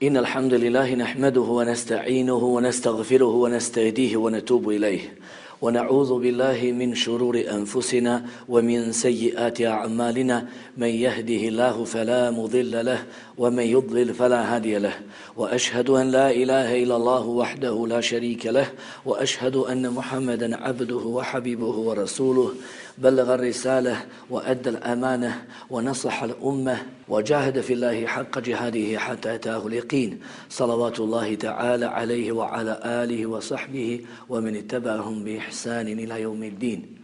إن الحمد لله نحمده ونستعينه ونستغفره ونستهديه ونتوب إليه ونعوذ بالله من شرور أنفسنا ومن سيئات أعمالنا من يهده الله فلا مضل له ومن يضلل فلا هادي له وأشهد أن لا إله إلا الله وحده لا شريك له وأشهد أن محمدا عبده وحبيبه ورسوله بلغ الرسالة وأدى الأمانة ونصح الأمة وجاهد في الله حق جهاده حتى أتاه اليقين صلوات الله تعالى عليه وعلى آله وصحبه ومن اتبعهم بإحسان إلى يوم الدين.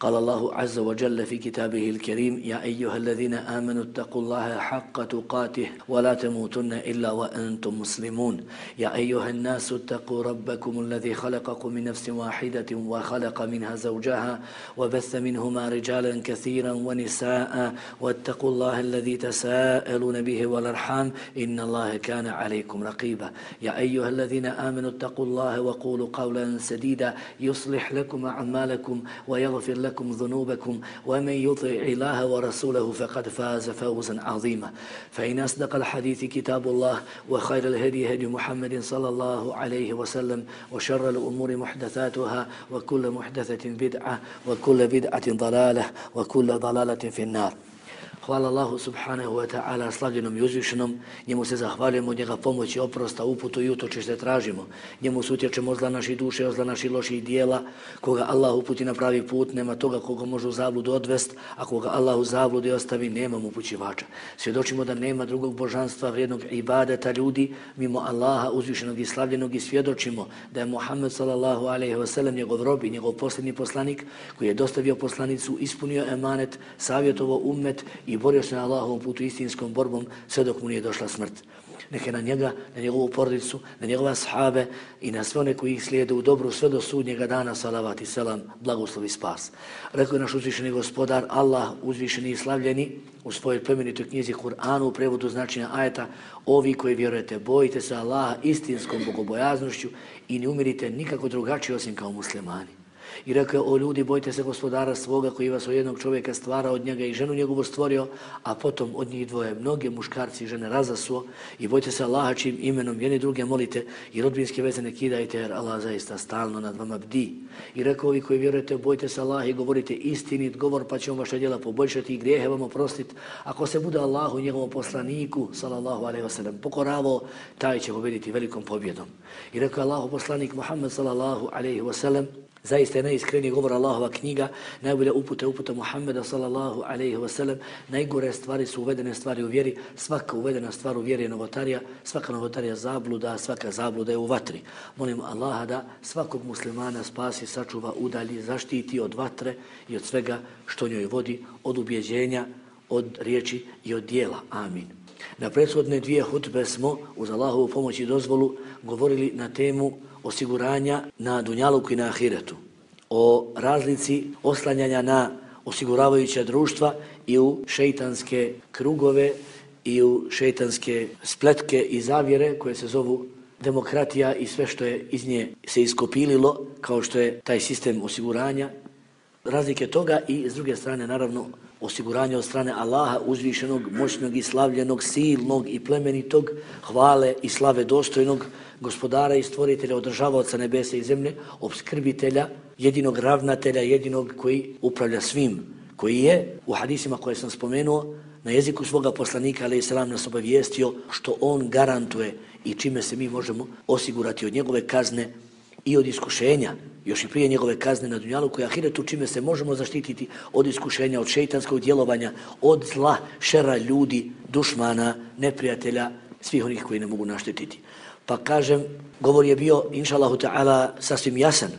قال الله عز وجل في كتابه الكريم: يا أيها الذين آمنوا اتقوا الله حق تقاته ولا تموتن إلا وأنتم مسلمون. يا أيها الناس اتقوا ربكم الذي خلقكم من نفس واحدة وخلق منها زوجها وبث منهما رجالا كثيرا ونساء واتقوا الله الذي تساءلون به والأرحام إن الله كان عليكم رقيبا. يا أيها الذين آمنوا اتقوا الله وقولوا قولا سديدا يصلح لكم أعمالكم ويغفر لكم ذنوبكم ومن يطع الله ورسوله فقد فاز فوزا عظيما. فإن أصدق الحديث كتاب الله وخير الهدي هدي محمد صلى الله عليه وسلم وشر الأمور محدثاتها وكل محدثة بدعة وكل بدعة ضلالة وكل ضلالة في النار. Hvala Allahu subhanahu wa ta'ala, slavljenom i uzvišenom, njemu se zahvaljujemo, njega pomoći, oprosta, uputu i utočište tražimo. Njemu se utječemo od zla naših duše, od zla naših loših dijela. Koga Allah uputi na pravi put, nema toga koga može u zabludu odvest, a koga Allah u zabludi ostavi, nema upućivača. Svjedočimo da nema drugog božanstva, vrijednog ibadeta ljudi, mimo Allaha uzvišenog i slavljenog, i svjedočimo da je Muhammed sallallahu alejhi ve sellem njegov rob i njegov posljednji poslanik koji je dostavio poslanicu, ispunio emanet, savjetovao ummet i borio se na Allahovom putu istinskom borbom sve dok mu nije došla smrt. Neke na njega, na njegovu porodicu, na njegove ashabe i na sve one koji ih slijede u dobru sve do sudnjega dana, salavat i selam, blagoslov i spas. Rekao je naš uzvišeni gospodar, Allah uzvišeni i slavljeni, u svojoj plemenitoj knjizi Kur'anu u prevodu značenja ajeta: ovi koji vjerujete, bojite se Allaha istinskom bogobojaznošću i ne umirite nikako drugačije osim kao muslimani. I rekao: o ljudi, bojte se gospodara svoga koji vas od jednog čovjeka stvara, od njega i ženu njegovu stvorio, a potom od njih dvoje mnoge muškarci i žene razasuo, i bojte se Allaha čijim imenom jedni druge molite i rodbinske veze ne kidajte, jer Allah zaista stalno nad vama bdi. I rekao: ovi koji vjerujete, bojte se Allaha i govorite istinit govor, pa će on vaša djela poboljšati i grijehe vam oprostiti. Ako se bude Allahu i njegovom poslaniku sallallahu alejhi ve sellem pokoravao, taj će pobjediti velikom pobjedom. I rekao Allahu poslanik Muhammed sallallahu alejhi ve sellem: zaista je najiskreniji govor Allahova knjiga, najbolja uputa Muhammeda sallallahu alejhi ve sellem. Najgore stvari su uvedene stvari u vjeri, svaka uvedena stvar u vjeri je novotarija, svaka novotarija zabluda, svaka zabluda je u vatri. Molim Allaha da svakog muslimana spasi, sačuva, udalji, zaštiti od vatre i od svega što njoj vodi, od ubjeđenja, od riječi i od dijela. Amin. Na prethodne dvije hutbe smo uz Allahovu pomoć i dozvolu govorili na temu osiguranja na dunjaluku i na ahiretu, o razlici oslanjanja na osiguravajuća društva i u šeitanske krugove i u šeitanske spletke i zavjere koje se zovu demokratija i sve što je iz nje se iskopililo, kao što je taj sistem osiguranja, razlike toga, i s druge strane naravno osiguranje od strane Allaha uzvišenog, moćnog i slavljenog, silnog i plemenitog, hvale i slave dostojnog gospodara i stvoritelja, održavaoca nebesa i zemlje, opskrbitelja, jedinog ravnatelja, jedinog koji upravlja svim, koji je u hadisima koje sam spomenuo na jeziku svoga poslanika alejhi selam nas obavijestio što on garantuje i čime se mi možemo osigurati od njegove kazne i od iskušenja, još i prije njegove kazne na dunjaluku i ahiretu, čime se možemo zaštititi od iskušenja, od šejtanskog djelovanja, od zla, šera ljudi, dušmana, neprijatelja, svih onih koji ne mogu naštetiti. Pa kažem, govor je bio, inšallahu ta'ala, sasvim jasan,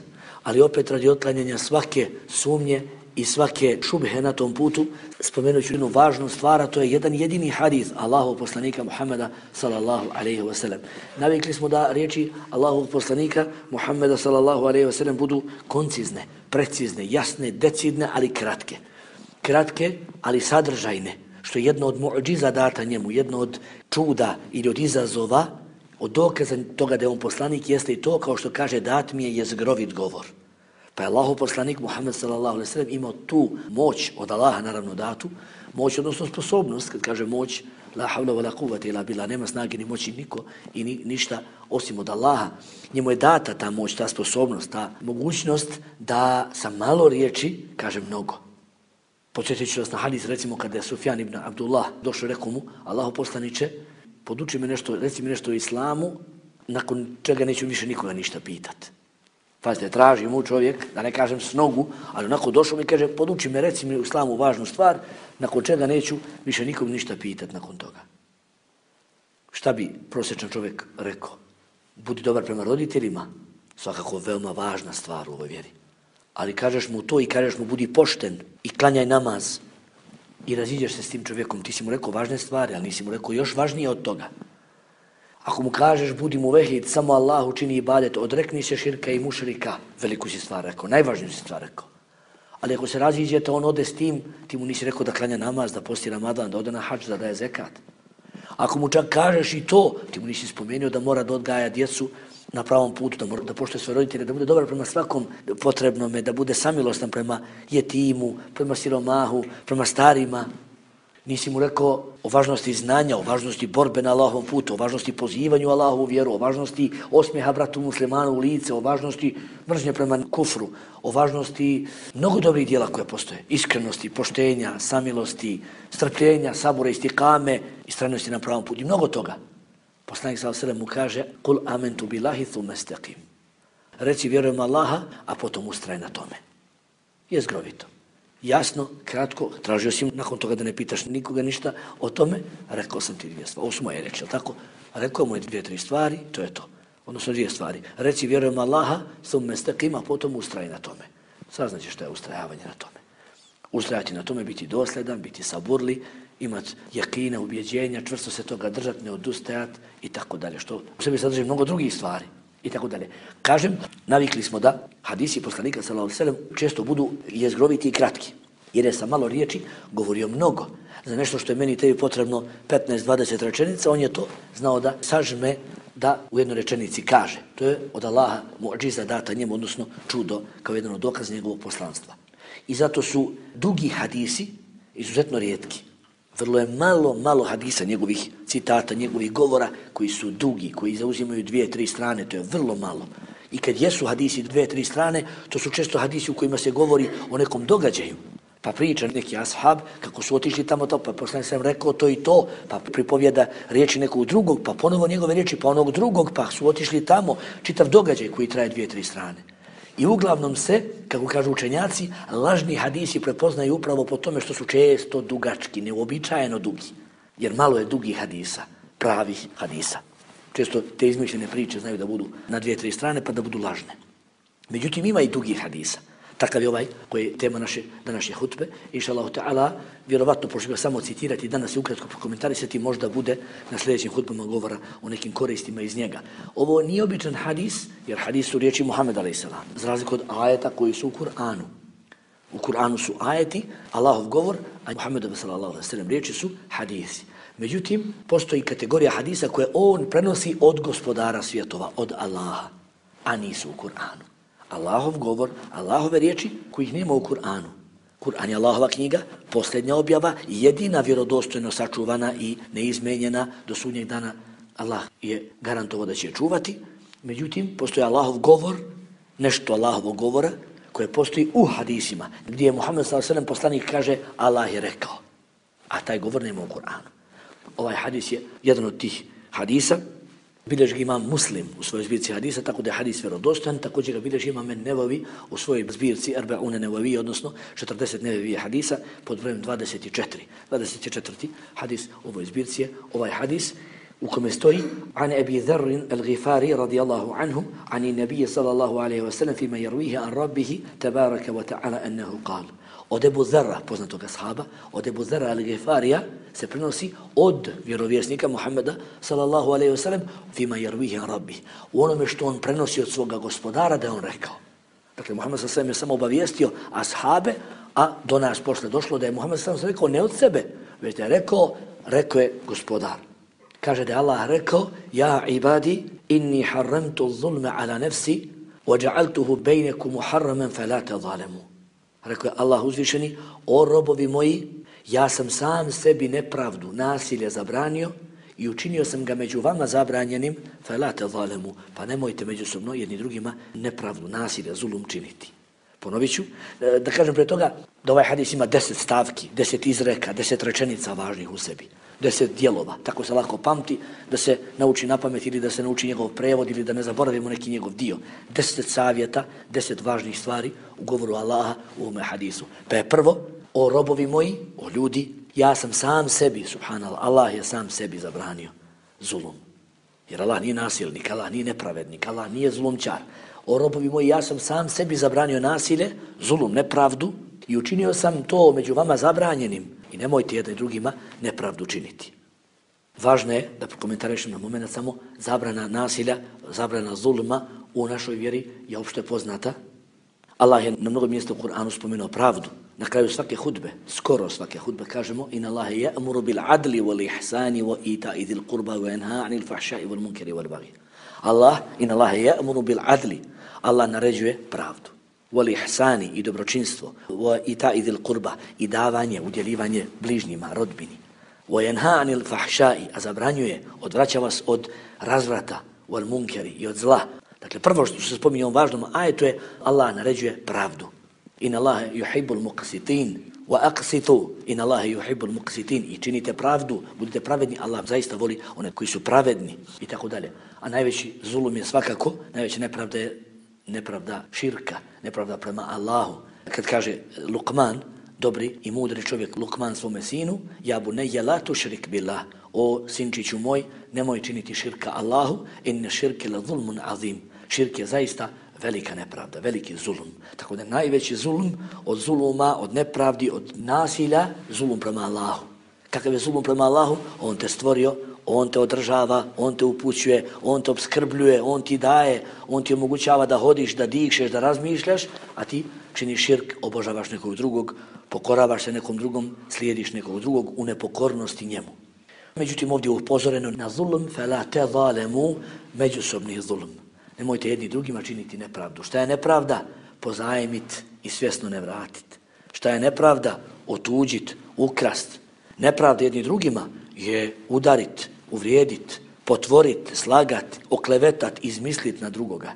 ali opet radi otklanjanja svake sumnje i svake šubhe na tom putu, spomenut ću jednu važnu stvar, a to je jedan jedini hadis Allahov poslanika Muhammeda sallallahu alejhi ve sellem. Navikli smo da riječi Allahovog poslanika Muhammeda sallallahu alejhi ve sellem budu koncizne, precizne, jasne, decidne, ali kratke. Kratke, ali sadržajne, što je jedno od mu'džiza data njemu, jedno od čuda ili od izazova, od dokaza toga da je on poslanik, jeste i to, kao što kaže, dat mi je jezgrovit govor. Pa je Allahov poslanik Muhammed sallallahu alejhi ve sellem imao tu moć od Allaha naravno datu, moć odnosno sposobnost, kad kaže moć, la havla wala quwwata illa billah, nema snage ni moći niko i ništa osim od Allaha. Njemu je data ta moć, ta sposobnost, ta mogućnost da sa malo riječi kaže mnogo. Podsjetit ću vas na hadis, recimo kada je Sufjan ibn Abdullah došao, rekao mu, Allahov poslaniče, poduči me nešto, reci mi nešto o islamu, nakon čega neću više nikoga ništa pitati. Pazite, traži mu čovjek, da ne kažem s nogu, ali onako došao mi i kaže, poduči me, reci mi u islamu važnu stvar, nakon čega neću više nikog ništa pitati nakon toga. Šta bi prosječan čovjek rekao? Budi dobar prema roditeljima, svakako veoma važna stvar u ovoj vjeri. Ali kažeš mu to i kažeš mu budi pošten i klanjaj namaz i raziđeš se s tim čovjekom. Ti si mu rekao važne stvari, ali nisi mu rekao još važnije od toga. Ako mu kažeš budi mu vehid, samo Allahu čini ibadet, odrekni se širka i mušrika, veliku si stvar rekao, najvažniju si stvar rekao. Ali ako se raziđete, on ode s tim, ti mu nisi rekao da klanja namaz, da posti Ramadan, da ode na hadž, da daje zekat. Ako mu čak kažeš i to, ti mu nisi spomenuo da mora da odgaja djecu na pravom putu, da mora da poštuje svoje roditelje, da bude dobar prema svakom potrebnome, da bude samilostan prema jetimu, prema siromahu, prema starima. Nisi mu rekao o važnosti znanja, o važnosti borbe na Allahovom putu, o važnosti pozivanju Allahovu vjeru, o važnosti osmijeha bratu muslimanu u lice, o važnosti mržnje prema kufru, o važnosti mnogo dobrih dijela koje postoje, iskrenosti, poštenja, samilosti, strpljenja, sabora, istikame, istrajnosti na pravom putu i mnogo toga. Poslanik sallallahu alejhi ve sellem mu kaže: "Kul amantu billahi thumma istaqim." Reci vjerujem Allaha, a potom ustraj na tome. Je zgrovito. Jasno, kratko, tražio si nakon toga da ne pitaš nikoga ništa o tome, rekao sam ti dvije stvari. Ovo su moje reči, tako? Rekao mu je 2-3 stvari, to je to. Odnosno 2 stvari. Reci vjerujem Allaha, thumma istaqim, a potom ustraj na tome. Saznaćeš što je ustrajavanje na tome. Ustrajati na tome, biti dosljedan, biti saburli, imati jakina, ubjeđenja, čvrsto se toga držati, ne odustajati i tako dalje. Što u sebi sadrži mnogo drugih stvari i tako dalje. Kažem, navikli smo da hadisi poslanika sallallahu alejhi ve sellem često budu jezgroviti i kratki. Jer je sa malo riječi govorio mnogo. Za nešto što je meni tebi potrebno 15-20 rečenica, on je to znao da sažme da u jednoj rečenici kaže. To je od Allaha muadžiza data njemu, odnosno čudo, kao jedan od dokaza njegovog poslanstva. I zato su dugi hadisi izuzetno rijetki. Vrlo je malo hadisa, njegovih citata, njegovih govora koji su dugi, koji zauzimaju 2-3 strane, to je vrlo malo. I kad jesu hadisi 2-3 strane, to su često hadisi u kojima se govori o nekom događaju. Pa priča neki ashab kako su otišli tamo to, pa poslanik sam rekao to i to, pa pripovjeda riječi nekog drugog, pa ponovo njegove riječi, pa onog drugog, pa su otišli tamo, čitav događaj koji traje 2-3 strane. I uglavnom se, kako kažu učenjaci, lažni hadisi prepoznaju upravo po tome što su često dugački, neuobičajeno dugi. Jer malo je dugih hadisa, pravih hadisa. Često te izmišljene priče znaju da budu na 2-3 strane pa da budu lažne. Međutim, ima i dugih hadisa. Takav je ovaj koji je tema naše današnje hutbe. Inšallahu ta'ala, vjerovatno pošto samo citirati danas i ukratko prokomentarisati, možda bude na sljedećim hutbama govora o nekim koristima iz njega. Ovo nije običan hadis, jer hadis su riječi Muhammed a.s. za razliku od ajeta koji su u Kur'anu. U Kur'anu su ajeti, Allahov govor, a Muhammedove sallallahu alejhi ve sellem riječi su hadisi. Međutim, postoji kategorija hadisa koje on prenosi od gospodara svjetova, od Allaha, a nisu u Kur'anu. Allahov govor, Allahove riječi kojih nema u Kur'anu. Kur'an je Allahova knjiga, posljednja objava, jedina vjerodostojno sačuvana i neizmenjena do sudnjeg dana. Allah je garantovao da će je čuvati. Međutim, postoji Allahov govor, nešto Allahovog govora, koje postoji u hadisima, gdje je Muhammed sallallahu alejhi ve sellem poslanik kaže Allah je rekao, a taj govor nema u Kur'anu. Ovaj hadis je jedan od tih hadisa. Bilježi ga imam Muslim u svojoj zbirci hadisa, tako da je hadis vjerodostojan, također ga bilježi imam Nevavi u svojoj zbirci Arba'une Nevavi, odnosno 40 Nevavi hadisa pod brojem 24. 24. hadis u ovoj zbirci je ovaj hadis u kome stoji an Abi Dharr al-Ghifari radijallahu anhu ani nabije sallallahu alaihi wa sallam fima yarwihi an rabbihi tabaraka wa ta'ala annahu qal. Od Ebu Dharra, poznatog ashaba, od Ebu Dharra al-Ghifarija se prenosi od vjerovjesnika Muhammeda sallallahu alaihi wa sallam fima yarwihi an rabbih. U onome što on prenosi od svoga gospodara da je on rekao. Dakle, Muhammed sallallahu alaihi wa sallam je samo obavijestio ashabe, a do nas posle došlo da je Muhammed sallallahu alaihi wa sallam rekao ne od sebe, već da je rekao je gospodar. Kaže da je Allah rekao, ja ibadi, inni harramtu zulme ala nefsi, وَجَعَلْتُهُ بَيْنَكُمْ مُحَرَّمًا فَلَا تَظَالَمُوا. Rekao je Allah uzvišeni, o robovi moji, ja sam sam sebi nepravdu, nasilje zabranio i učinio sam ga među vama zabranjenim, فَلَا تَظَالَمُوا, pa nemojte međusobno jedni drugima nepravdu, nasilje, zulum činiti. Ponovit ću, da kažem pre toga da ovaj hadis ima 10 stavki, 10 izreka, 10 rečenica važnih u sebi, 10 dijelova, tako se lako pamti, da se nauči na pamet ili da se nauči njegov prevod ili da ne zaboravimo neki njegov dio. 10 savjeta, 10 važnih stvari u govoru Allaha u ovome hadisu. Pa je prvo, o robovi moji, o ljudi, ja sam sam sebi, subhanallah, Allah je sam sebi zabranio zulum. Jer Allah nije nasilnik, Allah nije nepravednik, Allah nije zulumčar. O robovi moji, ja sam sam sebi zabranio nasilje, zulum, nepravdu i učinio sam to među vama zabranjenim i nemojte jedni drugima nepravdu činiti. Važno je da prokomentarišem na moment samo zabrana nasilja, zabrana zulma u našoj vjeri je opšte poznata. Allah je na mnogo mjesta u Kur'anu spomenuo pravdu. Na kraju svake hudbe, skoro svake hudbe kažemo inna Allahe ya'muru bil adli wal ihsani wa ita'i dhil qurba wa yanha 'anil fahsha'i wal munkari wal baghi. Inna Allahe ya'muru bil adli. Allah naređuje pravdu. Wal ihsani i dobročinstvo, wa ita'i dhil qurba i davanje, udjeljivanje bližnjima, rodbini. Wa yanha 'anil fahsha'i, a zabranjuje, odvraća vas od razvrata, wal munkari i od zla. Dakle, prvo što se spominje u ovom važnom ajetu je Allah naređuje pravdu. Inna Allahe yuhibbul muqsitin wa aqsitu. Inna Allahe yuhibbul muqsitin. I činite pravdu, budite pravedni, Allah zaista voli one koji su pravedni i tako dalje. A najveći zulum je svakako, najveća nepravda je nepravda širka, nepravda prema Allahu. Kad kaže Luqman, dobri i mudri čovjek Luqman svome sinu, ja bunayya la tushrik billah, o sinčiću moj, nemoj činiti širka Allahu, inna širke la zulmun azim. Širk je zaista velika nepravda, veliki zulum. Tako da najveći zulum od zuluma, od nepravdi, od nasilja, zulum prema Allahu. Kakav je zulum prema Allahu? On te stvorio, on te održava, on te upućuje, on te obskrbljuje, on ti daje, on ti omogućava da hodiš, da dišeš, da razmišljaš, a ti činiš širk, obožavaš nekog drugog, pokoravaš se nekom drugom, slijediš nekog drugog u nepokornosti njemu. Međutim, ovdje je upozoreno na zulum, fela te zalemu, međusobni zulum. Nemojte jedni drugima činiti nepravdu. Šta je nepravda? Pozajmit i svjesno ne vratit. Šta je nepravda? Otuđit, ukrast. Nepravda jedni drugima je udarit, uvrijedit, potvorit, slagat, oklevetat, izmislit na drugoga.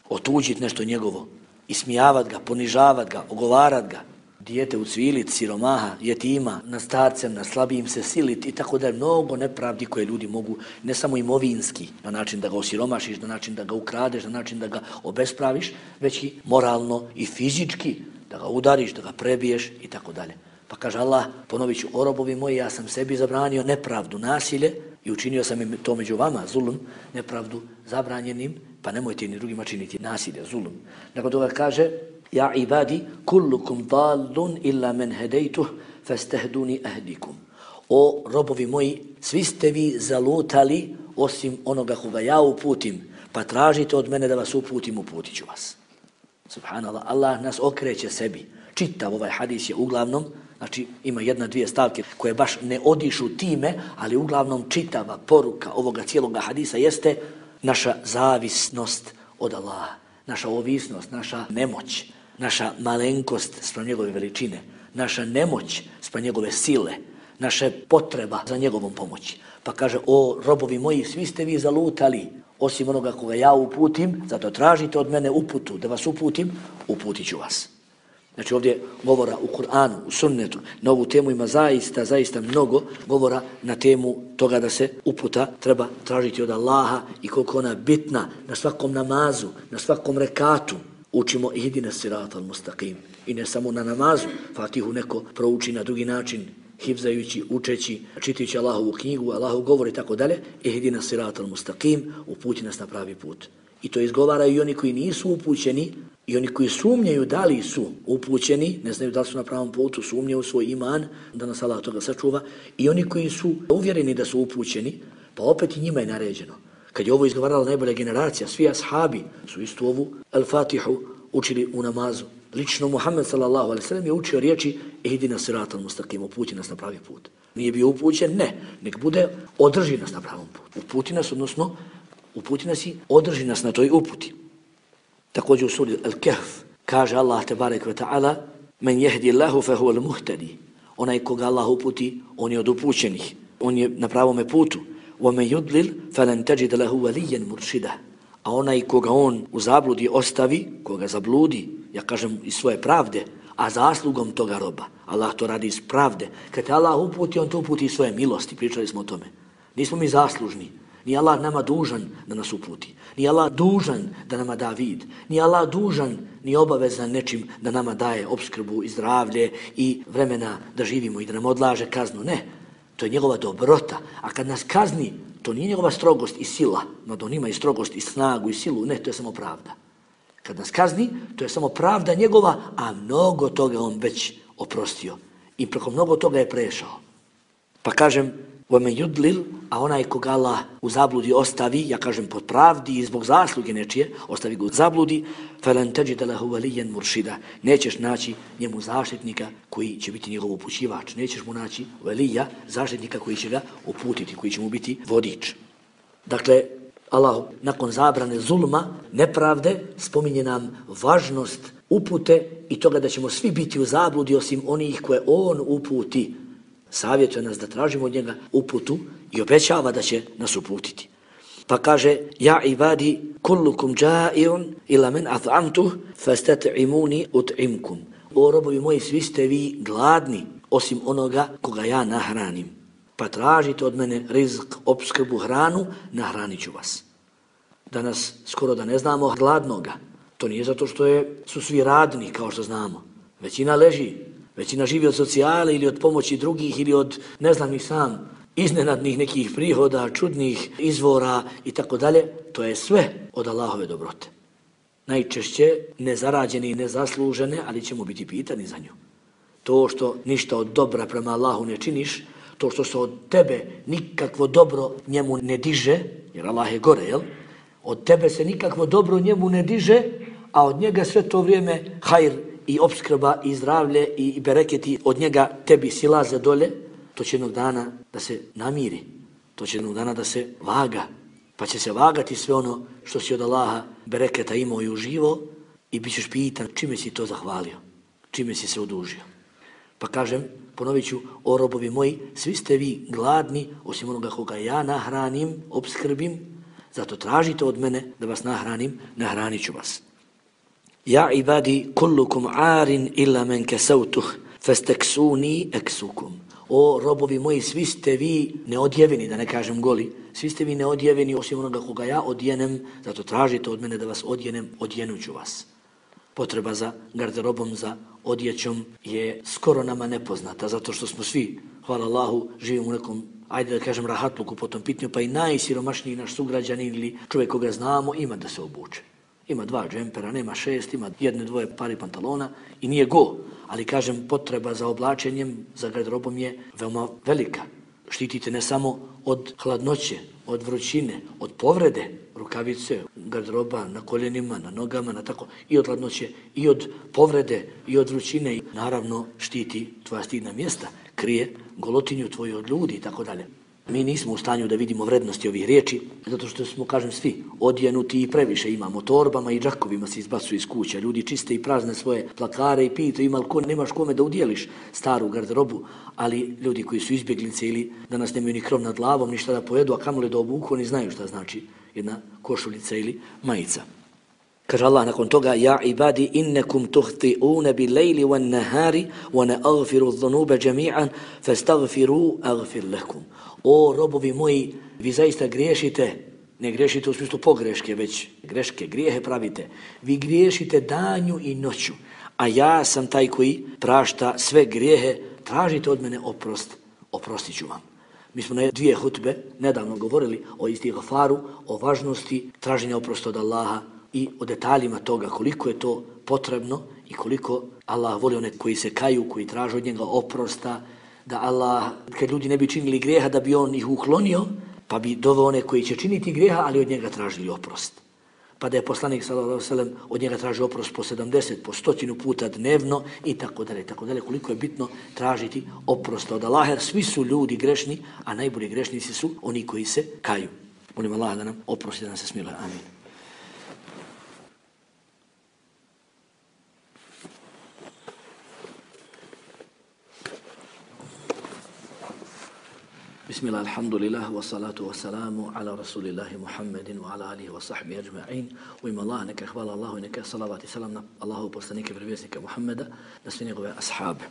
Otuđit nešto njegovo, ismijavat ga, ponižavat ga, ogovarat ga. Dijete ucvilit, siromaha, jetima, na starcem, na slabijim se silit i tako da je mnogo nepravdi koje ljudi mogu, ne samo imovinski, na način da ga osiromašiš, na način da ga ukradeš, na način da ga obespraviš, već i moralno i fizički, da ga udariš, da ga prebiješ i tako dalje. Pa kaže Allah, ponovit ću, o robovi moji, ja sam sebi zabranio nepravdu, nasilje i učinio sam im to među vama, zulum, nepravdu zabranjenim, pa nemojte ni drugima činiti nasilje, zulum. Nakon toga kaže, ja ibadi, kullukum dallun illa men hedejtuh, fastahduni ahdikum. O robovi moji, svi ste vi zalutali osim onoga koga ja uputim, pa tražite od mene da vas uputim, uputit ću vas. Subhanallah, Allah nas okreće sebi. Čitav ovaj hadis je uglavnom, znači ima jedna, dvije stavke koje baš ne odišu time, ali uglavnom čitava poruka ovoga cijeloga hadisa jeste naša zavisnost od Allaha, naša ovisnost, naša nemoć, naša malenkost spram njegove veličine, naša nemoć spram njegove sile, naša potreba za njegovom pomoći. Pa kaže, o robovi moji, svi ste vi zalutali, osim onoga koga ja uputim, zato tražite od mene uputu, da vas uputim, uputit ću vas. Znači ovdje govora u Kur'anu, u sunnetu, na ovu temu ima zaista mnogo govora na temu toga da se uputa treba tražiti od Allaha i koliko ona bitna na svakom namazu, na svakom rekatu. Učimo ihdina siratal mustaqim. I ne samo na namazu, Fatihu neko prouči na drugi način, hifzajući, učeći, čitajući Allahovu knjigu, Allahov govor i tako dalje. Ihdina siratal mustaqim, uputi nas na pravi put. I to izgovaraju i oni koji nisu upućeni, i oni koji sumnjaju da li su upućeni, ne znaju da li su na pravom putu, sumnjaju svoj iman, da nas Allah toga sačuva, i oni koji su uvjereni da su upućeni, pa opet i njima je naređeno. Kad je ovo izgovarala najbolja generacija, svi ashabi su istu ovu Al-Fatihu učili u namazu. Lično Muhammed sallallahu alejhi ve sellem je učio riječi ihdina siratal mustaqim, uputi nas na pravi put. Nije bio upućen, ne, nek bude održi nas na pravom putu. Uputi nas, odnosno uputi nas i održi nas na toj uputi. Također u suri Al-Kahf kaže Allah tebarek ve ta'ala: "Men yahdi Allahu fa huwa al-muhtadi." Onaj koga Allah uputi, on je od upućenih, on je na pravome putu. "Wa men yudlil falan tajid lahu waliyan murshida." A onaj koga on u zabludi ostavi, koga zabludi, ja kažem iz svoje pravde, a zaslugom toga roba. Allah to radi iz pravde. Kad te Allah uputi, on to uputi iz svoje milosti. Pričali smo o tome. Nismo mi zaslužni. Nije Allah nama dužan da nas uputi. Nije Allah dužan da nama da vid. Nije Allah dužan ni obavezan nečim da nama daje opskrbu i zdravlje i vremena da živimo i da nam odlaže kaznu. Ne. To je njegova dobrota. A kad nas kazni, to nije njegova strogost i sila. No on ima i strogost i snagu i silu. Ne, to je samo pravda. Kad nas kazni, to je samo pravda njegova, a mnogo toga on već oprostio. I preko mnogo toga je prešao. Pa kažem, وَمَنْ يُدْلِلْ, a onaj koga Allah u zabludi ostavi, ja kažem pod pravdi i zbog zasluge nečije, ostavi ga u zabludi, فَلَنْ تَجِدَ لَهُ وَلِيًّا مُرْشِدًا. Nećeš naći njemu zaštitnika koji će biti njegov upućivač. Nećeš mu naći velija, zaštitnika koji će ga uputiti, koji će mu biti vodič. Dakle, Allah nakon zabrane zulma, nepravde, spominje nam važnost upute i toga da ćemo svi biti u zabludi osim onih koje on uputi. Savjetuje nas da tražimo od njega uputu i obećava da će nas uputiti. Pa kaže: "Ja ibadi kullukum ja'iun ila man at'amtuh fastat'imuni ut'imkum." O robovi moji, svi ste vi gladni osim onoga koga ja nahranim. Pa tražite od mene rizq, opskrbu, hranu, nahranit ću vas. Danas skoro da ne znamo gladnoga. To nije zato što su svi radni, kao što znamo. Većina leži, većina živi od socijale ili od pomoći drugih ili od, ne znam ni sam, iznenadnih nekih prihoda, čudnih izvora i tako dalje. To je sve od Allahove dobrote. Najčešće nezarađene i nezaslužene, ali ćemo biti pitani za nju. To što ništa od dobra prema Allahu ne činiš, to što se od tebe nikakvo dobro njemu ne diže, jer Allah je gore, jel? Od tebe se nikakvo dobro njemu ne diže, a od njega sve to vrijeme hajr i opskrba i zdravlje i bereketi od njega tebi silaze dolje, to će jednog dana da se namiri, to će jednog dana da se vaga, pa će se vagati sve ono što si od Allaha bereketa imao i uživo i bit ćeš pitan čime si to zahvalio, čime si se odužio. Pa kažem, ponovit ću, o robovi moji, svi ste vi gladni osim onoga koga ja nahranim, opskrbim, zato tražite od mene da vas nahranim, nahranit ću vas. Ja ibadi kullukum arin illa men kasautuh fastaksuni eksukum. O robovi moji, svi ste vi neodjeveni, da ne kažem goli, svi ste vi neodjeveni osim onoga koga ja odjenem, zato tražite od mene da vas odjenem, odjenuću vas. Potreba za garderobom, za odjećom je skoro nama nepoznata, zato što smo svi, hvala Allahu, živimo u nekom, ajde da kažem, rahatluku po tom pitanju, pa i najsiromašniji naš sugrađanin ili čovjek koga znamo ima da se obuče. Ima 2 džempera, nema 6, ima 1-2 pari pantalona i nije go. Ali kažem, potreba za oblačenjem, za garderobom je veoma velika. Štitite ne samo od hladnoće, od vrućine, od povrede, rukavice, garderoba na koljenima, na nogama, na tako, i od hladnoće, i od povrede, i od vrućine. I naravno štiti tvoja stidna mjesta, krije golotinju tvoju od ljudi i tako dalje. Mi nismo u stanju da vidimo vrednosti ovih riječi, zato što smo, kažem, svi odjenuti i previše imamo. Torbama i džakovima se izbacuju iz kuća. Ljudi čiste i prazne svoje plakare i pitaju ima li ko, nemaš kome da udjeliš staru garderobu, ali ljudi koji su izbjeglice ili danas nemaju ni krov nad glavom, ništa da pojedu, a kamoli da obuku, oni znaju šta znači jedna košuljica ili majica. Kaže Allah nakon toga: Ja ibadi innekum tuhti'une bi lejli wan nahari wa ne agfiru dhunuba jami'an fastaghfiru aghfir lakum. O robovi moji, vi zaista griješite, ne griješite u smislu pogreške, već greške, grijehe pravite. Vi griješite danju i noću, a ja sam taj koji prašta sve grijehe, tražite od mene oprost, oprostit ću vam. Mi smo na 2 hutbe nedavno govorili o istighfaru, o važnosti traženja oprosta od Allaha i o detaljima toga koliko je to potrebno i koliko Allah voli one koji se kaju, koji traže od njega oprosta, da Allah, kad ljudi ne bi činili grijeha, da bi on ih uklonio, pa bi doveo one koji će činiti grijeha, ali od njega tražili oprost. Pa da je poslanik sallallahu alejhi ve sellem od njega tražio oprost po 70, po 100 puta dnevno i tako dalje, koliko je bitno tražiti oprosta od Allaha, jer svi su ljudi grešni, a najbolji grešnici su oni koji se kaju. Molim Allah da nam oprosti, da nam se smiluje. Amin. Bismillah, alhamdulillah, wa salatu wa salamu ala rasulillahi Muhammedin wa ala alihi wa sahbihi ajma'in. U ime Allah, neka hvala Allahu i neka salavat i salam na Allahu poslanike prevjesnika Muhammeda, na sve njegove ashabe.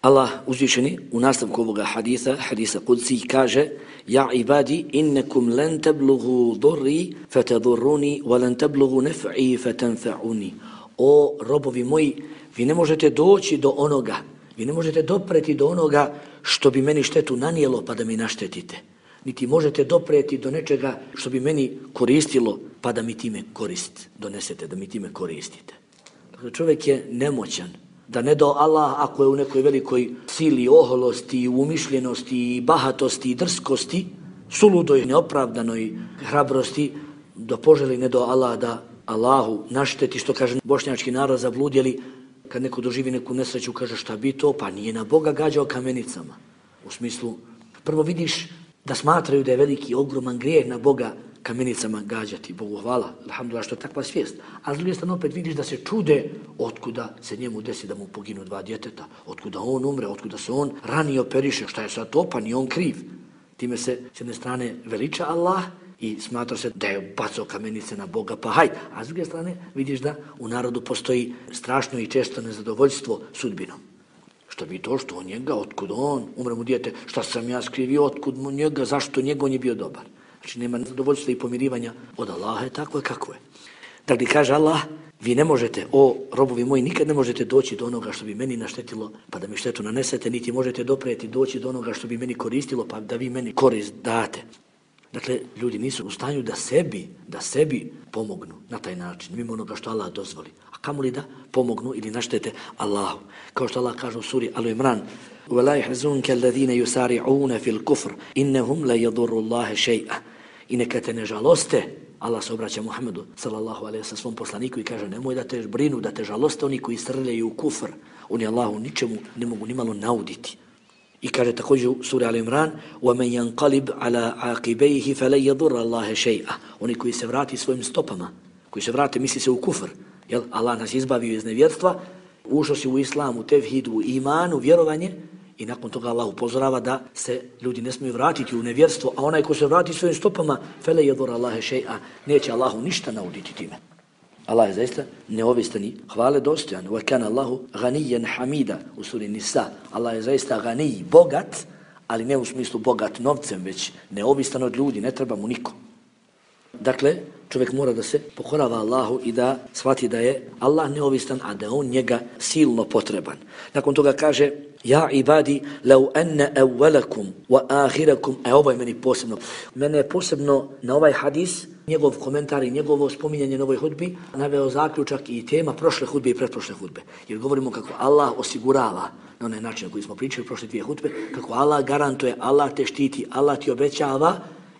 Allah uzvišeni u nastavku ovoga hadisa Qudsi kaže: Ja ibadi innakum lan tablughu durri fatadurruni wa lan tablughu naf'i fatanfa'uni. O robovi moji, vi ne možete doći do onoga, vi ne možete dopreti do onoga što bi meni štetu nanijelo pa da mi naštetite. Niti možete dopreti do nečega što bi meni koristilo pa da mi time korist donesete, da mi time koristite. Dakle, čovjek je nemoćan. Da ne do Allah ako je u nekoj velikoj sili, oholosti, umišljenosti, bahatosti, drskosti, suludoj, neopravdanoj hrabrosti, da poželi ne do Allah da Allahu našteti, što kaže bošnjački narod zabludjeli, kad neko doživi neku nesreću, kaže šta bi to, pa nije na Boga gađao kamenicama. U smislu, prvo vidiš da smatraju da je veliki, ogroman grijeh na Boga kamenicama gađati. Bogu hvala, alhamdulillah, što je takva svijest. A s druge strane opet vidiš da se čude otkuda se njemu desi da mu poginu 2 djeteta, otkuda on umre, otkuda se on ranije operiše, šta je sad to, pa nije on kriv. Time se s jedne strane veliča Allah i smatra se da je bacao kamenice na Boga, pa hajde. A s druge strane vidiš da u narodu postoji strašno i često nezadovoljstvo sudbinom. Što bi to, što on njega, otkud on, umre mu dijete, šta sam ja skrivio, otkud mu njega, zašto njega, on je bio dobar. Znači nema zadovoljstva i pomirivanja od Allaha, je tako je kako je. Dakle, kaže Allah, vi ne možete, o robovi moji, nikad ne možete doći do onoga što bi meni naštetilo, pa da mi štetu nanesete, niti možete dopreti doći do onoga što bi meni koristilo, pa da vi meni korist date. Dakle, ljudi nisu u stanju da sebi pomognu na taj način, mimo onoga što Allah dozvoli. A kamoli da pomognu ili naštete Allahu. Kao što Allah kaže u suri Al-Imran: وَلَا يَحْزُنْكَ الَّذِينَ يُسَارِعُونَ فِي الْكُفْرِ إِنَّهُمْ لَا يَضُرُّ اللَّهَ شَيْئًا. I neka te ne žaloste, Allah se obraća Muhammedu sallallahu alejhi ve sellem svom poslaniku i kaže: nemoj da te brinu, da te žaloste oni koji srljaju u kufr. Oni Allahu ničemu ne mogu nimalo nauditi. I kaže također u suri Al-Imran: وَمَنْ يَنْقَلِبْ عَلَىٰ عَقِبَيْهِ فَلَنْ يَضُرَّ اللَّهَ شَيْئًا. Oni koji se vrati svojim stopama, koji se vrate, misli se u kufr. Jel? Allah nas izbavio iz nevjerstva, ušao si u islamu, tevhidu, u imanu, vjerovanje, i nakon toga Allah upozorava da se ljudi ne smiju vratiti u nevjerstvo, a onaj ko se vrati svojim stopama, فَلَنْ يَضُرَّ اللَّهَ شَيْئًا, neće Allahu ništa nauditi time. Allah je zaista neovistan i hvale dostojan. وَكَانَ اللَّهُ غَنِيًّا حَمِيدًا u suri Nisa. Allah je zaista ganij, bogat, ali ne u smislu bogat novcem, već neovistan od ljudi, ne treba mu niko. Dakle, čovjek mora da se pokorava Allahu i da shvati da je Allah neovistan, a da on njega silno potreban. Nakon toga kaže: Ja ibadi, lau enne evvelakum wa ahirakum. Ovo je meni posebno. Mene je posebno na ovaj hadis, njegov komentar i njegovo spominjanje na ovoj hudbi, naveo zaključak i tema prošle hudbe i pretprošle hudbe. Jer govorimo kako Allah osigurava, na onaj način na koji smo pričali u prošle 2 hudbe, kako Allah garantuje, Allah te štiti, Allah ti obećava.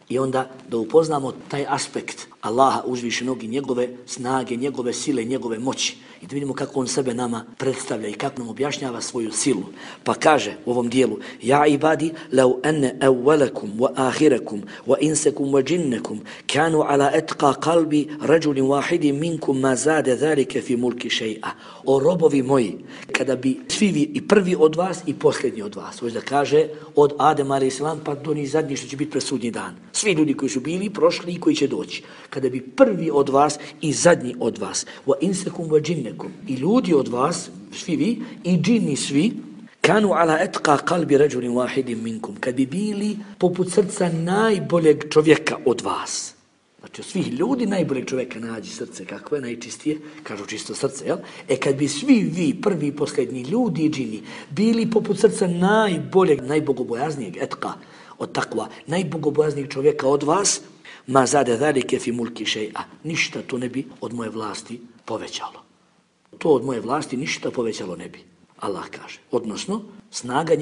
I onda da upoznamo taj aspekt Allaha uzvišenog i njegove snage, njegove sile, njegove moći. I da vidimo kako on sebe nama predstavlja i kako nam objašnjava svoju silu. Pa kaže u ovom dijelu: Ja ibadi, lau enne evvelakum wa ahirakum wa insekum wa džinnekum kanu ala etqa kalbi rađulim wahidin minkum ma zade zalike fi mulki še'a. O robovi moji, kada bi svi vi, i prvi od vas i posljednji od vas, hoće da kaže od Adema a.s. pa do njih zadnji što će biti presudnji dan. Svi ljudi koji su bili, prošli i koji će doći. Kada bi prvi od vas i zadnji od vas, wa insekum wa džinnekum, i ljudi od vas, svi vi, i džini svi, kanu ala etqa kalbi rađulim wahidin minkum, kad bi bili poput srca najboljeg čovjeka od vas. Znači, od svih ljudi najboljeg čovjeka nađi srce, kako je najčistije, kažu čisto srce, jel? Kad bi svi vi, prvi i posljednji, ljudi i džini, bili poput srca najboljeg, najbogobojaznijeg, etqa, od takva, najbogobojaznijeg čovjeka od vas, ma zade zalike fi mulki še'a, ništa to ne bi od moje vlasti povećalo. To od moje vlasti ništa povećalo ne bi. Allah kaže. Odnosno, snaga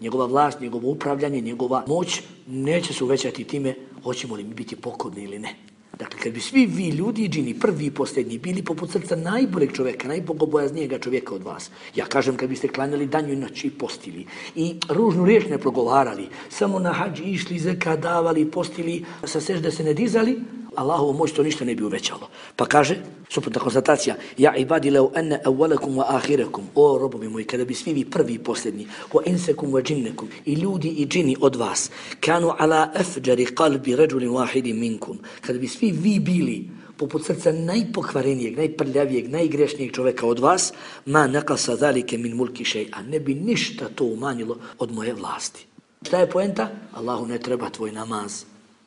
njegova vlast, njegovo upravljanje, njegova moć neće se uvećati time hoćemo li mi biti pokorni ili ne. Dakle, kad bi svi vi ljudi i džini, prvi i posljednji, bili poput srca najboljeg čovjeka, najbogobojaznijega čovjeka od vas. Ja kažem, kad biste klanjali danju i noći i postili i ružnu riječ ne progovarali, samo na hadži išli, zeka davali, postili, sa sežde se ne dizali, Allahovu moć to ništa ne bi uvećalo. Pa kaže, suprotna konstatacija, ja ibadi leu enne awalakum wa ahirakum, o robovi moji, kada bi svi vi prvi i posljednji, wa insekum wa džinnekum, i ljudi i džini od vas, kanu ala afjari qalbi rajulin wahidin minkum, kada bi svi vi bili poput srca najpokvarenijeg, najprljavijeg, najgrešnijeg čovjeka od vas, ma naqasa zalike min mulki shay'a, ne bi ništa to umanjilo od moje vlasti. Šta je poenta? Allahu ne treba tvoj namaz,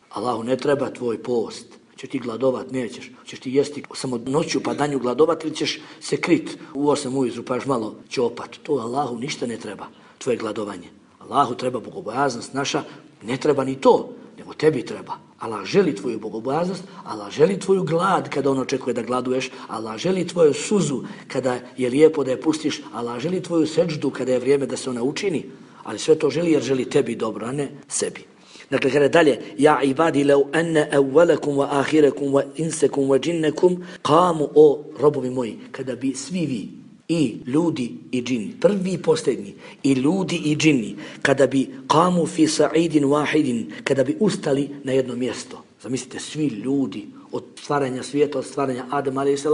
Allahu ne treba tvoj post. Ćeš ti gladovat, nećeš. Ćeš ti jesti samo noću pa danju gladovat ili ćeš se krit u 8 ujutru pa još malo ćopat. To Allahu ništa ne treba, tvoje gladovanje. Allahu treba bogobojaznost naša, ne treba ni to, nego tebi treba. Allah želi tvoju bogobojaznost, Allah želi tvoju glad kada on očekuje da gladuješ, Allah želi tvoju suzu kada je lijepo da je pustiš, Allah želi tvoju seđdu kada je vrijeme da se ona učini, ali sve to želi jer želi tebi dobro, a ne sebi. Dakle, kada dalje, ja ibadi lau anna awalakum wa ahirakum wa insakum wa džinnekum qamu, o robovi moji, kada bi svi vi, i ljudi i džini, prvi i posljednji, i ljudi i džini, kada bi qamu fi sa'idin wahidin, kada bi ustali na jedno mjesto. Zamislite, svi ljudi od stvaranja svijeta, od stvaranja Adama a.s.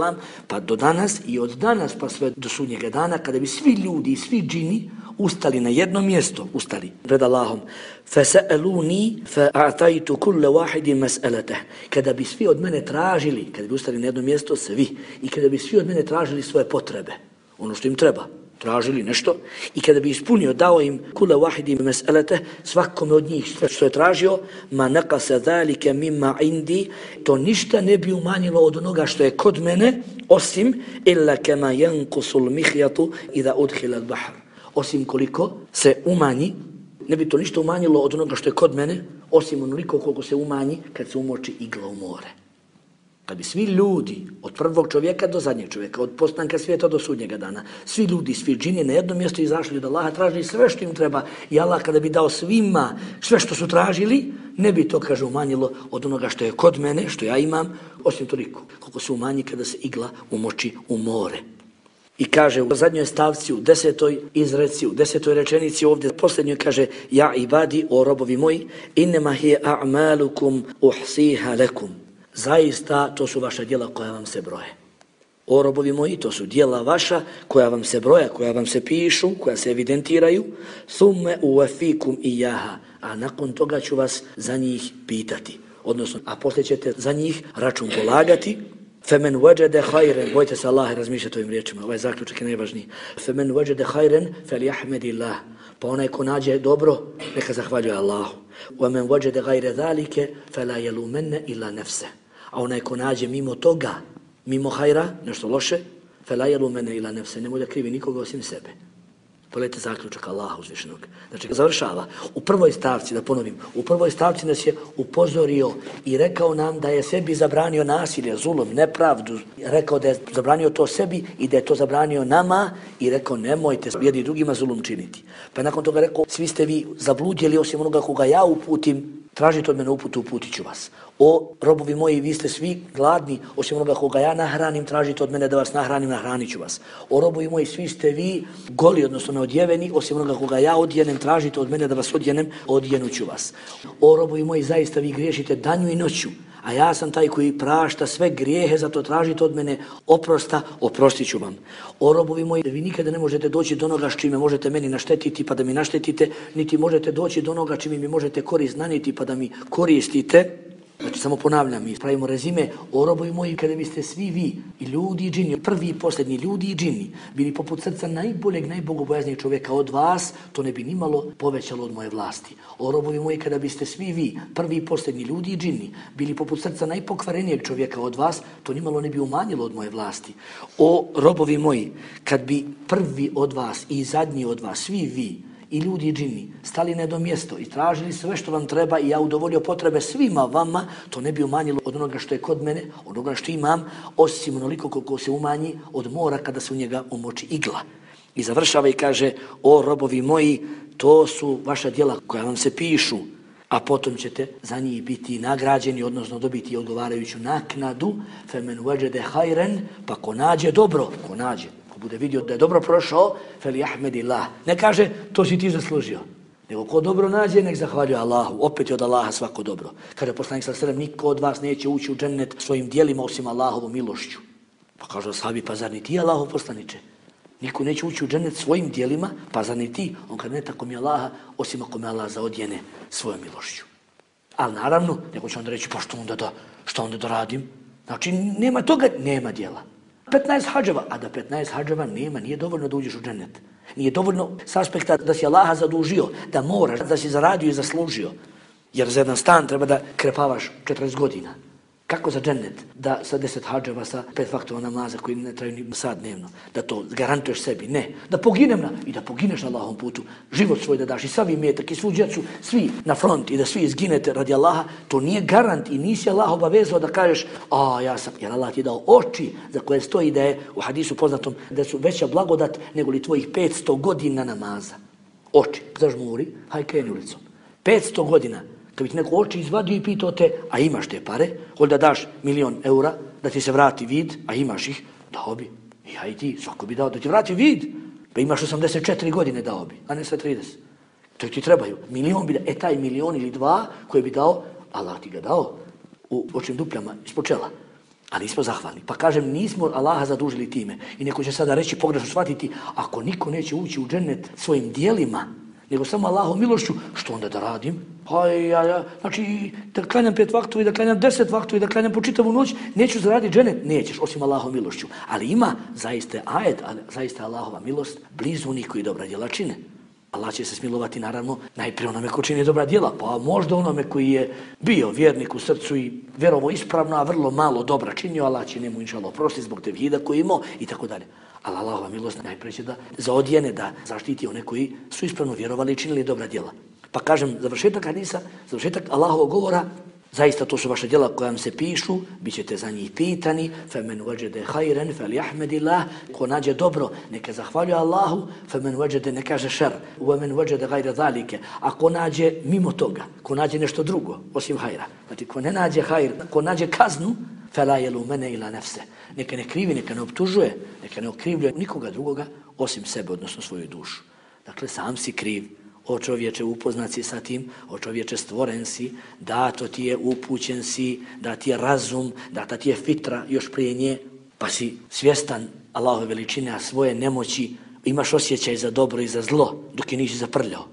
pa do danas i od danas pa sve do sudnjega dana, kada bi svi ljudi i svi džini ustali na jedno mjesto, ustali pred Allahom. فَسَأَلُونِي فَأَعْتَيْتُ كُلَّ وَاحِدٍ مَسْأَلَتَهِ, kada bi svi od mene tražili, kada bi ustali na jedno mjesto, svi, i kada bi svi od mene tražili svoje potrebe, ono što im treba, tražili nešto, i kada bi ispunio, dao im kula wahidi mes'elete, svakome od njih sve što je tražio, ma naqasa zalika mimma indi, to ništa ne bi umanjilo od onoga što je kod mene, osim illa kama yanqusul mihyatu idha udkhila al-bahr, osim koliko se umanji, ne bi to ništa umanjilo od onoga što je kod mene, osim onoliko koliko se umanji kad se umoči igla u more. Kad bi svi ljudi, od prvog čovjeka do zadnjeg čovjeka, od postanka svijeta do sudnjega dana, svi ljudi, svi džini na jedno mjesto izašli od Allaha, tražili sve što im treba, i Allah kada bi dao svima sve što su tražili, ne bi to, kaže, umanjilo od onoga što je kod mene, što ja imam, osim toliko koliko se umanji kada se igla umoči u more. I kaže u zadnjoj stavci, u 10. izreci, u 10. rečenici ovdje posljednjoj kaže, ja ibadi, o robovi moji, innema hiye a'malukum uhsiha lakum, zaista to su vaša djela koja vam se broje. O robovi moji, to su djela vaša koja vam se broja, koja vam se pišu, koja se evidentiraju, thumme uwafikum iyaha, a nakon toga ću vas za njih pitati, odnosno, a poslije ćete za njih račun polagati. Femen wajada khayran, bojte se Allaha, razmišljate ovim riječima, ovaj zaključak je najvažniji. Femen wajada khayran falyahmadillah, pa onaj ko nađe dobro, neka zahvaljuje Allahu. Wa men wajada ghayra zalika fala yalumanna illa nafsa, a onaj ko nađe mimo toga, mimo hajra, nešto loše, fala yalumanna illa nafsa, nemoj da krivi nikoga osim sebe. Pogledajte zaključak Allaha uzvišenog. Znači, završava. U prvoj stavci, da ponovim, u prvoj stavci nas je upozorio i rekao nam da je sebi zabranio nasilje, zulum, nepravdu. Rekao da je zabranio to sebi i da je to zabranio nama i rekao nemojte jedni drugima zulum činiti. Pa nakon toga rekao, svi ste vi zabludjeli osim onoga koga ja uputim, tražite od mene uputu, uputit ću vas. O robovi moji, vi ste svi gladni, osim onoga koga ja nahranim, tražite od mene da vas nahranim, nahranit ću vas. O robovi moji, svi ste vi goli, odnosno neodjeveni, osim onoga koga ja odjenem, tražite od mene da vas odjenem, odjenut ću vas. O robovi moji, zaista vi griješite danju i noću, a ja sam taj koji prašta sve grijehe, zato tražite od mene oprosta, oprostit ću vam. O robovi moji, vi nikada ne možete doći do onoga s čime možete meni naštetiti pa da mi naštetite, niti možete doći do onoga čime mi možete korist nanijeti pa da mi koristite. Znači, samo ponavljam, mi pravimo rezime, o robovi moji, kada biste svi vi, i ljudi i džini, prvi i posljednji ljudi i džini, bili poput srca najboljeg, najbogobojaznijeg čovjeka od vas, to ne bi nimalo povećalo od moje vlasti. O robovi moji, kada biste svi vi, prvi i posljednji ljudi i džini, bili poput srca najpokvarenijeg čovjeka od vas, to nimalo ne bi umanjilo od moje vlasti. O robovi moji, kad bi prvi od vas i zadnji od vas, svi vi, i ljudi i džini, stali na jedno mjesto i tražili sve što vam treba i ja udovoljio potrebe svima vama, to ne bi umanjilo od onoga što je kod mene, od onoga što imam, osim onoliko koliko se umanji od mora kada se u njega umoči igla. I završava i kaže, o robovi moji, to su vaša djela koja vam se pišu, a potom ćete za njih biti nagrađeni, odnosno dobiti odgovarajuću naknadu, femen wajada khayran, pa ko nađe dobro, ko nađe, bude vidio da je dobro prošao, falyahmadillah. Ne kaže, to si ti zaslužio. Nego ko dobro nađe, nek zahvaljuje Allahu. Opet je od Allaha svako dobro. Kaže poslanik sallallahu alejhi ve sellem, niko od vas neće ući u džennet svojim djelima osim Allahovom milošću. Pa kažu ashabi, pa zar ni ti Allahov poslaniče? Niko neće ući u džennet svojim djelima, pa zar ni ti? On kaže, ne tako mi Allaha, osim ako me Allah zaodjene svojom milošću. Ali naravno, neko će onda reći, pa što onda da radim? Znači, nema toga, nema djela. 15 hadževa, a da 15 hadževa nema, nije dovoljno da uđeš u džennet. Nije dovoljno s aspekta da si Allaha zadužio, da moraš, da si zaradio i zaslužio. Jer za jedan stan treba da krepavaš 40 godina. Kako za džennet? Da sa 10 hadževa, sa 5 vaktova namaza koji ne traju ni sat dnevno, da to garantuješ sebi. Ne. Da poginem i da pogineš na Allahom putu, život svoj da daš i sav imetak i svu djecu, svi na front i da svi izginete radi Allaha, to nije garant i nisi Allah obavezao da kažeš, jer Allah ti je dao oči za koje stoji da je u hadisu poznatom da su veća blagodat nego li tvojih 500 godina namaza. Oči, zažmuri, haj kreni ulicom. 500 godina. Kad bi ti neko oči izvadio i pitao te, a imaš te pare, hoće da daš 1.000.000 eura, da ti se vrati vid, a imaš ih, dao bi. I ja i ti, svako bi dao da ti vrati vid. Pa imaš 84 godine, dao bi, a ne sve 30. To ti trebaju. 1.000.000 bi dao, taj 1.000.000 ili 2 koje bi dao, Allah ti ga dao u očnim dupljama ispod čela. A nismo zahvalni. Pa kažem, nismo Allaha zadužili time. I neko će sada reći, pogrešno shvatiti, ako niko neće ući u džennet svojim dijelima, nego samo Allahom milošću, što onda da radim? Znači, da klanjam 5 vaktova i da klanjam 10 vaktova i da klanjam po čitavu noć, neću zaraditi džennet? Nećeš, osim Allahom milošću. Ali ima zaista ajet, zaista Allahova milost, blizu onih koji dobra djela čine. Allah će se smilovati, naravno, najprije onome ko čini dobra djela, pa možda onome koji je bio vjernik u srcu i vjerovo ispravno, a vrlo malo dobra činio, Allah će njemu inšallah oprostiti zbog tevhida koji imao i tako dalje. Ali Allahova milost najprije će da zaodjene, da zaštiti one koji su ispravno vjerovali i činili dobra djela. Pa kažem, završetak hadisa, završetak Allahovog govora, zaista to su vaše djela koja vam se pišu, bit ćete za njih pitani, فَمَنْ وَجَدَ خَيْرًا فَلْيَحْمَدِ اللَّهِ, ko nađe dobro, neka zahvaljuje Allahu, فَمَنْ وَجَدَ ne kaže šer, وَمَنْ وَجَدَ غَيْرَ ذَلِكَ, a ko nađe mimo toga, ko nađe nešto drugo, osim hajra, znači ko ne nađe hajr, ko nađe kaznu, فَلَا يَلُومَنَ إِلَا نَفْسَ, neka ne krivi, neka ne optužuje, neka ne okrivljuje nikoga drugoga, osim sebe, odnosno svoju dušu. Dakle, sam si kriv. O čovječe, upoznat si sa tim, o čovječe, stvoren si, dato ti je, upućen si, da ti je razum, data ti je fitra još prije nje, pa si svjestan Allahove veličine, a svoje nemoći, imaš osjećaj za dobro i za zlo, dok je nisi zaprljao.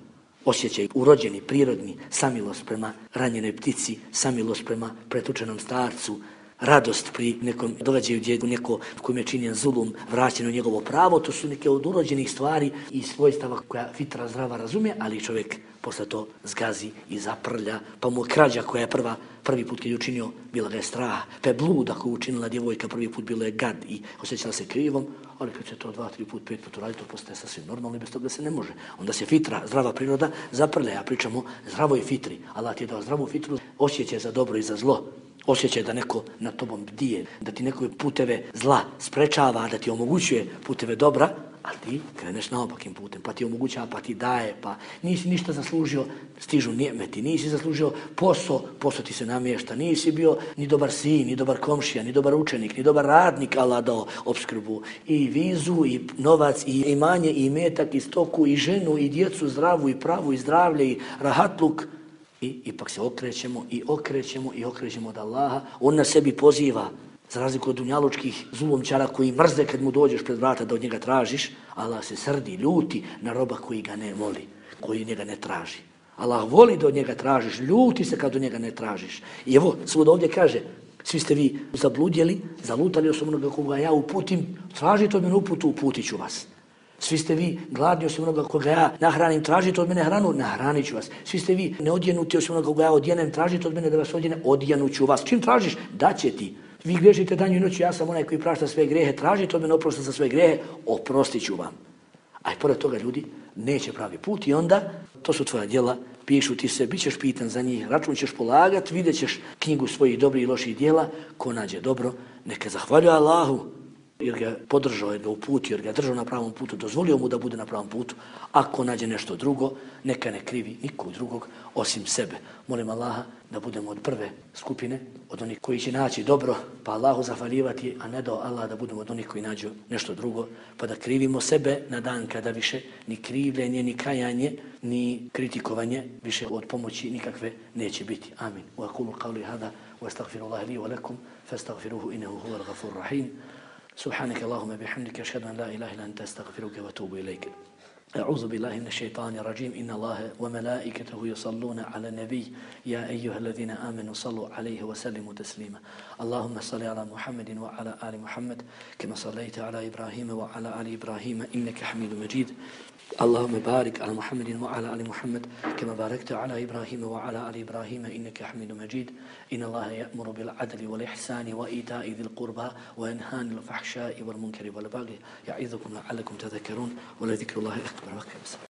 Osjećaj urođeni, prirodni, samilost prema ranjenoj ptici, samilost prema pretučenom starcu, radost pri nekom događaju gdje neko kojem je činjen zulum, vraćeno njegovo pravo, to su neke od urođenih stvari i svojstava koja fitra zdrava razumije, ali čovjek posle to zgazi i zaprlja, pa mu krađa koja je prvi put kad je učinio, bila ga je strah, pa je bluda koju učinila djevojka prvi put, bilo je gad i osjećala se krivom, ali kad će to 2, 3 put, 5 put uraditi, to postaje sasvim normalno i bez toga se ne može. Onda se fitra, zdrava priroda, zaprlja, ja pričam o zdravoj fitri. Allah ti je dao zdravu fitru, osjećaj za dobro i za zlo. Osjećaj da neko na tobom bdije, da ti neko puteve zla sprečava, da ti omogućuje puteve dobra, ali ti kreneš naopakim putem, pa ti omogućava, pa ti daje, pa nisi ništa zaslužio, stižu nijemeti, nisi zaslužio posao ti se namješta, nisi bio ni dobar sin, ni dobar komšija, ni dobar učenik, ni dobar radnik, Allah dao opskrbu i vizu, i novac, i imanje, i imetak, i stoku, i ženu, i djecu, zdravu, i pravu, i zdravlje, i rahatluk. I ipak se okrećemo od Allaha. On na sebi poziva, za razliku od dunjalučkih zulomčara koji mrze kad mu dođeš pred vrata da od njega tražiš. Allah se srdi, ljuti na roba koji ga ne voli, koji njega ne traži. Allah voli da od njega tražiš, ljuti se kad od njega ne tražiš. I evo, svud ovdje kaže, svi ste vi zabludjeli, zalutali osim onoga koga ja uputim, tražite od mene uputu, uputit ću vas. Svi ste vi gladni osim onoga koga ja nahranim, tražite od mene hranu, nahranit ću vas. Svi ste vi neodjenuti osim onoga koga ja odjenem, tražite od mene da vas odjene, odjenut ću vas. Čim tražiš, daće ti. Vi grešite danju i noću, ja sam onaj koji prašta sve grehe, tražite od mene oprosta za sve grehe, oprostit ću vam. A i pored toga ljudi neće pravi put i onda to su tvoja djela, pišu ti se, bit ćeš pitan za njih, račun ćeš polagat, vidjet ćeš knjigu svojih dobrih i loših djela, ko nađe dobro, neka zahvaljuje Allahu, jer ga podržao, jer ga uputio, jer ga držao na pravom putu, dozvolio mu da bude na pravom putu. Ako nađe nešto drugo, neka ne krivi nikog drugog osim sebe. Molim Allaha da budemo od prve skupine, od onih koji će naći dobro, pa Allahu zahvaljivati, a ne dao Allah da budemo od onih koji nađu nešto drugo, pa da krivimo sebe na dan kada više ni krivljenje, ni kajanje, ni kritikovanje više od pomoći nikakve neće biti. Amin. Wa aqulu qawli hada wa astaghfirullaha li wa lakum fastaghfiruhu innahu huwal ghafurur rahim. Subhanaka Allahumma bihamdika ashhadu an la ilaha illa anta astaghfiruka wa atubu ilayk. أعوذ بالله من الشيطان الرجيم إن الله وملائكته يصلون على النبي يا أيها الذين آمنوا صلوا عليه وسلموا تسليما اللهم صل على محمد وعلى آل محمد كما صليت على إبراهيم وعلى آل إبراهيم إنك حميد مجيد اللهم بارك على محمد وعلى آل محمد كما باركت على إبراهيم وعلى آل إبراهيم إنك حميد مجيد إن الله يأمر بالعدل والإحسان وإيتاء ذي القربى وينهى عن الفحشاء والمنكر والبغي يعظكم لعلكم تذكرون ولذكر الله أكبر.